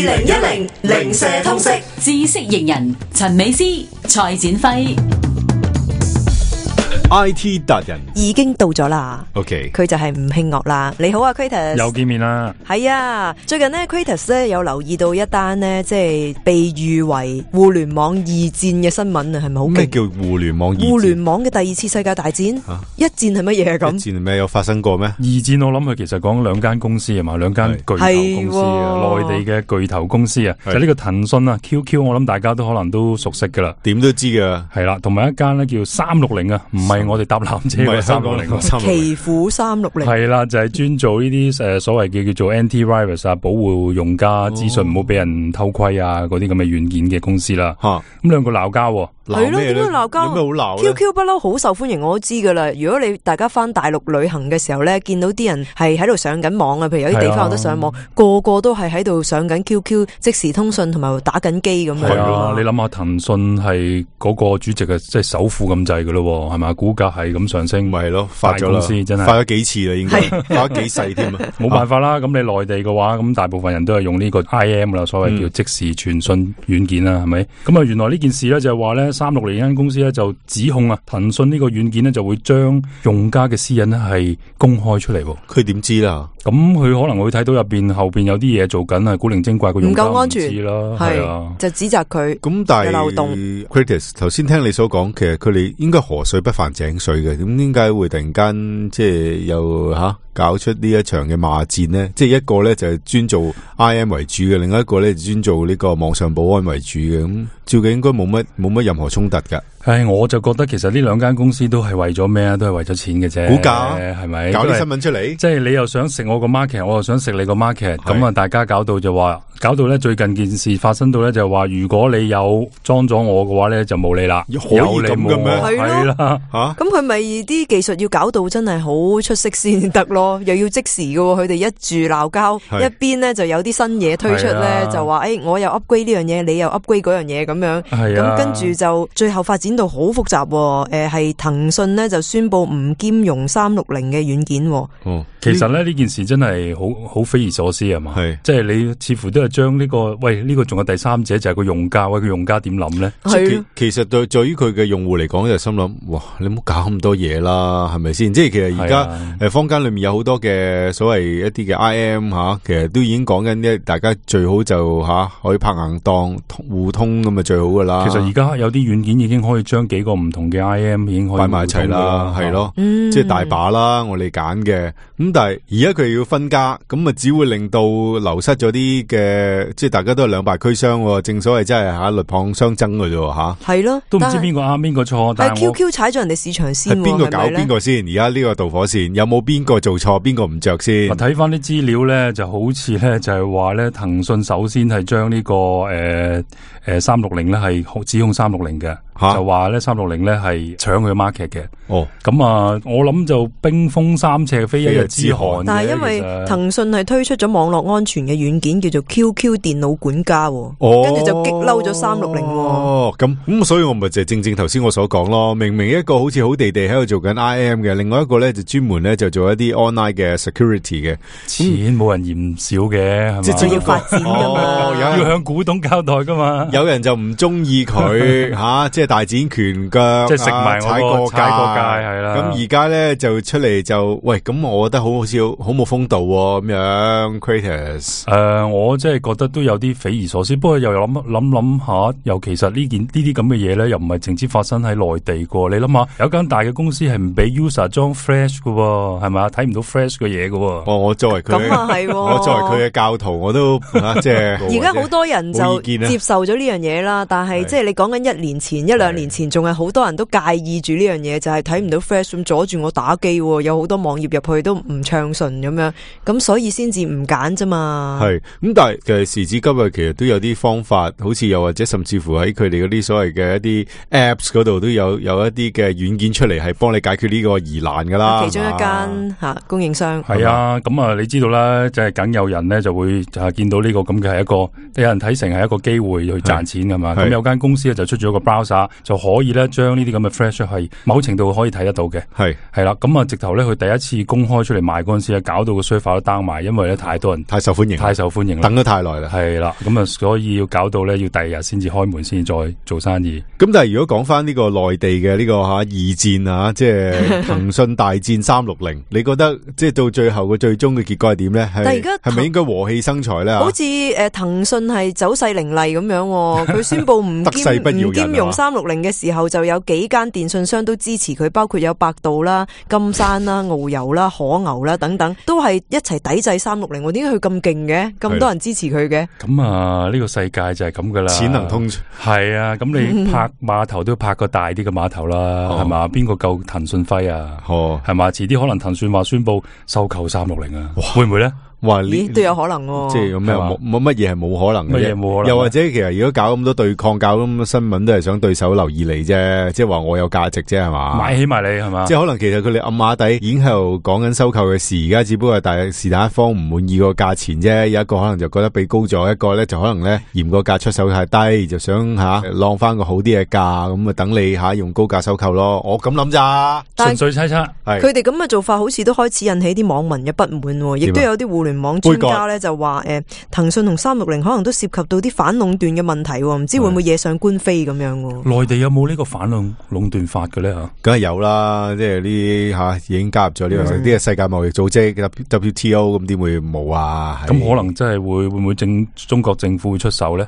2010零舍通識知識型人陳美詩、蔡展輝。IT 達人已經到咗啦 ，OK， 佢就係吳慶岳啦。你好啊 Kratos， 又見面啦。係啊，最近呢 Kratos 咧有留意到一單呢，即係被譽為互聯網二戰嘅新聞啊，係咪好勁？咩叫互聯網二戰？互聯網嘅第二次世界大戰，一戰係乜嘢咁？一戰係咩有發生過咩？二戰我諗佢其實講兩間公司啊嘛，兩間巨頭公司啊，內地嘅巨頭公司啊，就呢個騰訊啊 ，QQ， 我諗大家都可能都熟悉噶啦，點都知噶，係啦，同埋一間咧叫360啊，唔係我哋搭纜車嘅360，奇虎360係啦，就係專做呢啲所謂嘅叫做 anti-virus 啊，保護用家資訊唔好俾人偷窺啊，嗰啲咁嘅軟件嘅公司啦。咁兩個鬧交，係咯，點樣鬧交？有咩好鬧？QQ 不嬲好受歡迎，我都知噶啦。如果你大家翻大陸旅行嘅時候咧，見到啲人係喺度上緊網啊，譬如有啲地方有得上網，個個都係喺度上緊 QQ 即時通訊同埋打緊機咁樣。係啊，你諗下騰訊係嗰個主席嘅即係首富咁滯噶咯，係咪？股價係咁上升，咪係咯，發咗啦，真係發咗幾次啦，應該發咗幾世添啊！冇辦法啦，咁你內地嘅話，咁大部分人都係用呢個 IM 啦，所謂叫即時傳訊軟件啦，係咪？咁啊，原來呢件事咧就係話咧，360間公司咧就指控啊，騰訊呢個軟件咧就會將用家嘅私隱咧係公開出嚟。佢點知啦？咁佢可能會睇到入邊後邊有啲嘢做緊啊，古靈精怪個用家唔夠安全唔知啦，係啊，就指責佢咁，但係漏洞。Kratos 頭先聽你所講，其實佢哋應該河水不犯井水嘅，咁點解會突然間即係又搞出呢一場嘅罵戰呢？即係一個咧就係專做 IM 為主嘅，另一個咧就專做呢個網上保安為主嘅，咁照計應該冇乜任何衝突噶。我就覺得其實呢兩間公司都係為咗咩啊？都係為咗錢嘅啫。股價係咪？搞啲新聞出嚟，即係你又想食我個 market， 我又想食你個 market， 咁啊大家搞到咧最近件事發生到咧就話，如果你有裝咗我嘅話咧就冇你啦。可以咁嘅咩？係啦，咁佢咪啲技術要搞到真係好出色先得咯，又要即時嘅，佢哋一住鬧交，一邊咧就有啲新嘢推出咧，就話我又 upgrade 呢樣嘢，你又 upgrade 嗰樣嘢咁樣，咁跟住就最後發展到好複雜。係騰訊咧就宣布唔兼容360嘅軟件。其實咧呢件事真係好匪夷所思係嘛？係，即係你似乎都係將呢個呢個仲有第三者就係個用家，個用家點諗咧？其實對於佢嘅用戶嚟講就心諗，哇，你唔好搞咁多嘢啦，係咪先？即係其實而家坊間裏面有好多嘅所謂一啲嘅 IM 其實都已經講緊呢，大家最好就可以拍硬檔互通咁啊最好噶啦。其實而家有啲軟件已經可以將幾個唔同嘅 IM 已經可以擺埋一齊啦，係咯，即係大把啦，我哋揀嘅。咁但係而家佢要分家，咁啊只會令到流失咗啲嘅，即係大家都係兩敗俱傷。正所謂真係鷸蚌相爭嘅啫，係咯，都唔知邊個啱邊個錯。但係 QQ 踩咗人哋市場先，係邊個搞邊個先？而家呢個導火線有冇邊個做錯，邊個唔着先？我睇翻啲資料咧，就好似咧就係話咧，騰訊首先係將呢個360咧係指控360嘅。就話咧360咧係搶佢 market 嘅。咁啊，我諗就冰封三尺非一日之寒。但係因為騰訊係推出咗網絡安全嘅軟件叫做 QQ 電腦管家，跟住就激嬲咗360。咁所以我咪就正頭先我所講咯。明明一個好似好地地喺度做緊 IM 嘅，另外一個咧就專門咧就做一啲 online 嘅 security 嘅。錢冇人嫌少嘅，係嘛？即係要發展噶嘛，要向股東交代噶嘛。有人就唔中意佢即係大展拳腳，即係食埋踩過界係啦。咁而家咧就出嚟就喂，咁我覺得好似好冇風度咁樣。Kratos，我真係覺得都有啲匪夷所思。不過又諗下，又其實呢啲咁嘅嘢咧，又唔係淨止發生喺內地噶。你諗下，有間大嘅公司係唔俾 user 裝 Flash 噶，係咪？睇唔到 Flash 嘅嘢噶。我作為佢，我作為佢嘅教徒，我都即係。而家好多人就接受咗呢樣嘢啦，但係即係你講緊一兩年前仲係好多人都介意住呢樣嘢，就係睇唔到 Flash 咁阻住我打機，有好多網頁入去都唔暢順咁樣，咁所以先至唔揀啫嘛。係咁，但係其實時至今日，其實都有啲方法，好似又或者甚至乎喺佢哋嗰啲所謂嘅一啲 Apps 嗰度都有一啲嘅軟件出嚟，係幫你解決呢個疑難噶啦。其中一間供應商係啊，咁啊，你知道啦，即係梗有人咧就會見到呢個咁嘅係一個有人睇成係一個機會去賺錢噶嘛。咁有間公司咧就出咗個 browser。下，就可以咧將呢啲咁嘅 flash 係某程度可以睇得到嘅。係啦，咁啊直頭咧佢第一次公開出嚟賣嗰陣時咧，搞到個 server 都 down 埋，因為咧太多人，太受歡迎，等得太耐啦。係啦，咁啊所以要搞到咧要第二日先至開門，先再做生意。咁但係如果講翻呢個內地嘅呢個二戰啊，即係騰訊大戰360，你覺得即係到最後個最終嘅結果係點咧？但係而家係咪應該和氣生財咧？好似騰訊係走勢凌厲咁樣，佢宣布唔兼容360嘅時候，就有幾間電信商都支持佢，包括有百度啦、金山啦、遨遊啦、可牛啦等等，都係一齊抵制360。點解佢咁勁嘅？咁多人支持佢嘅？咁啊，呢個世界就係咁噶啦，錢能通係啊。咁你拍碼頭都拍個大啲嘅碼頭啦，係嘛？邊個夠騰訊輝啊？係嘛？遲啲可能騰訊話宣布收購360啊，會唔會咧？咦，都有可能喎。即係咁咩？冇乜嘢係冇可能嘅。又或者其實如果搞咁多對抗，搞咁多新聞，都係想對手留意你啫。即係話我有價值啫，係嘛？買起埋你係嘛？即係可能其實佢哋暗碼底已經喺度講緊收購嘅事，而家只不過係是但一方唔滿意個價錢啫。有一個可能就覺得俾高咗，一個咧就可能咧嫌個價出手太低，就想浪翻個好啲嘅價，咁啊等你用高價收購咯。我咁諗咋？純粹猜測。佢哋咁嘅做法，好似都開始引起啲網民嘅不滿，亦都有啲互聯網專家咧就話騰訊同360可能都涉及到啲反壟斷嘅問題，唔知會唔會惹上官非咁樣？內地有冇呢個反壟斷法嘅咧？梗係有啦，即係呢已經加入咗呢個啲世界貿易組織 WTO， 咁點會冇啊？咁可能真係會唔會中國政府會出手咧？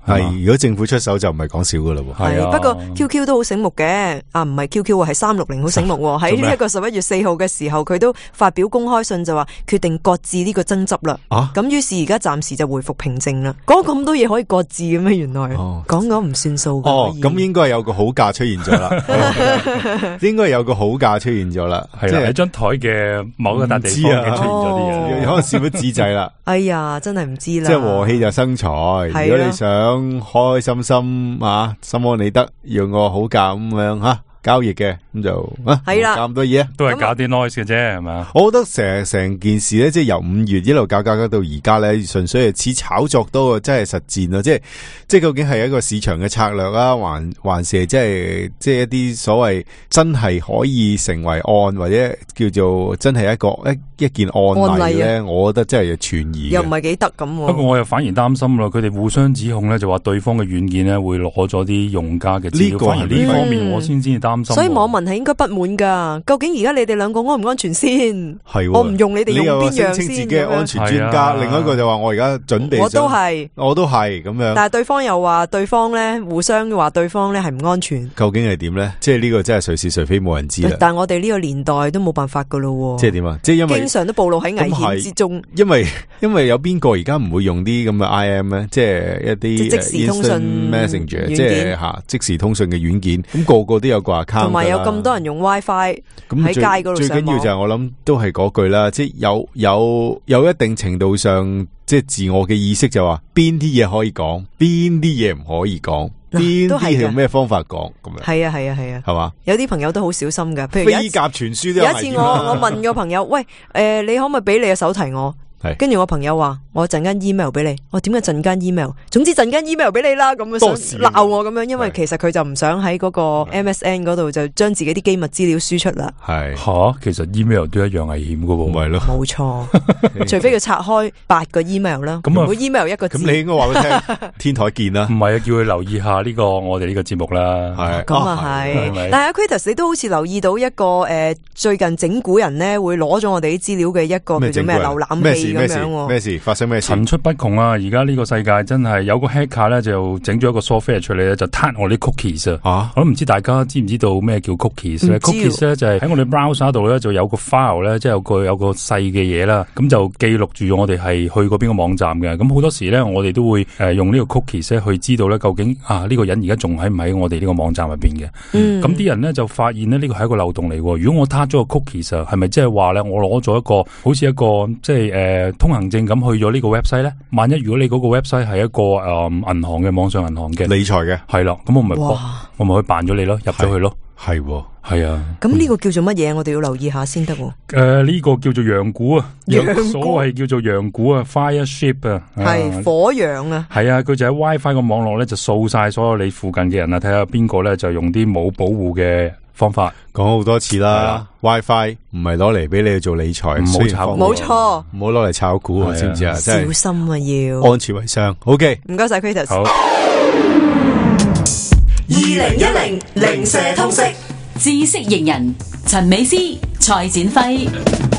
係如果政府出手就唔係講笑噶啦。係不過 QQ 都好醒目嘅，唔係 QQ 係360好醒目。喺呢一個11月4號嘅時候，佢都發表公開信就話決定擱置呢個爭執啦。咁於是而家暫時就回復平靜啦。講咁多嘢可以擱置嘅咩？原來講唔算數。咁應該有個好價出現咗啦。應該有個好價出現咗啦。係啦，喺張台嘅某個笪地方出現咗啲嘢，可能少咗紙仔啦。哎呀，真係唔知啦。即係和氣就生財。如果你想開開心心心安理得，用個好價咁樣交易嘅，咁就係啦，搞咁多嘢，都係搞啲 noise 嘅啫，係嘛？我覺得成件事咧，即係由5月一路搞到而家咧，純粹係似炒作多，真係實戰咯。即係究竟係一個市場嘅策略啊，還是即係一啲所謂真係可以成為案，或者叫做真係一件案例咧？我覺得真係存疑，又唔係幾得咁。不過我又反而擔心咯，佢哋互相指控咧，就話對方嘅軟件咧會攞咗啲用家嘅資料。反而呢方面我先至擔心。所以網民係應該不滿噶。究竟而家你哋兩個安唔安全先？係我唔用你哋用邊樣先？自己嘅安全專家，另外一個就話我而家準備，我都係咁樣。但係對方又話對方咧，互相話對方咧係唔安全。究竟係點咧？即係呢個真係誰是誰非冇人知啦。但係我哋呢個年代都冇辦法噶咯。即係點啊？即係因為經常都暴露喺危險之中。因為有邊個而家唔會用啲咁嘅 IM 咧？即係一啲即時通訊 Messenger， 即係即時通訊嘅軟件。咁個個都有個 account，同埋有咁多人用 WiFi 喺街嗰度上網。最緊要就係我諗都係嗰句啦，即係有一定程度上，即係自我嘅意識就話邊啲嘢可以講，邊啲嘢唔可以講，邊啲係用咩方法講咁樣。係啊，係嘛？有啲朋友都好小心噶，譬如飛鴿傳書都有。有一次我問個朋友，喂，你可唔可以俾你嘅手提我？跟住我朋友話我陣間 email 俾你，我點解陣間 email？ 總之陣間 email 俾你啦，咁樣想鬧我咁樣，因為其實佢就唔想喺嗰個 MSN 嗰度就將自己啲機密資料輸出啦。係其實 email 都一樣危險噶喎，咪咯，冇錯，除非佢拆開8個 email 啦，每 email 一個字。咁你應該話俾佢聽，天台見啦。唔係啊，叫佢留意下呢個我哋呢個節目啦。係咁係，但係阿 Kratos 你都好似留意到一個最近整蠱人咧會攞咗我哋啲資料嘅一個叫做咩瀏覽器咁樣。咩事？發生咩事？層出不窮啊！而家呢個世界真係有個 hacker 咧，就整咗一個 software 出嚟咧，就撻我啲 cookies 啊！我都唔知大家知唔知道咩叫 cookies 咧？cookies 咧就係喺我哋 browser 度咧，就有個 file 咧，即係有個細嘅嘢啦，咁就記錄住我哋係去過邊個網站嘅。咁好多時咧，我哋都會用呢個 cookies 咧去知道咧，究竟呢個人而家仲喺唔喺我哋呢個網站入邊嘅？咁啲人咧就發現咧，呢個係一個漏洞嚟。如果我撻咗個 cookies，係咪即係話咧，我攞咗一個好似一個即係通行證咁去咗呢個 website 咧，萬一如果你嗰個 website 係一個銀行嘅網上銀行嘅理財嘅，係啦，咁我咪可以辦咗你咯，入咗去咯。係啊，咁呢個叫做乜嘢？我哋要留意下先得。呢個叫做羊股啊，所謂叫做羊股啊 ，Fireship 啊，係火羊啊，係啊，佢就喺 WiFi 個網絡咧就掃晒所有你附近嘅人啊，睇下邊個咧就用啲冇保護嘅方法。講好多次啦 ，WiFi 唔係攞嚟俾你去做理財，唔好炒股，冇錯，唔好攞嚟炒股啊，知唔知啊？小心啊，要安全為上。OK， 唔該晒 Kratos。好，2010零舍通識。知識型人陳美詩、蔡展輝。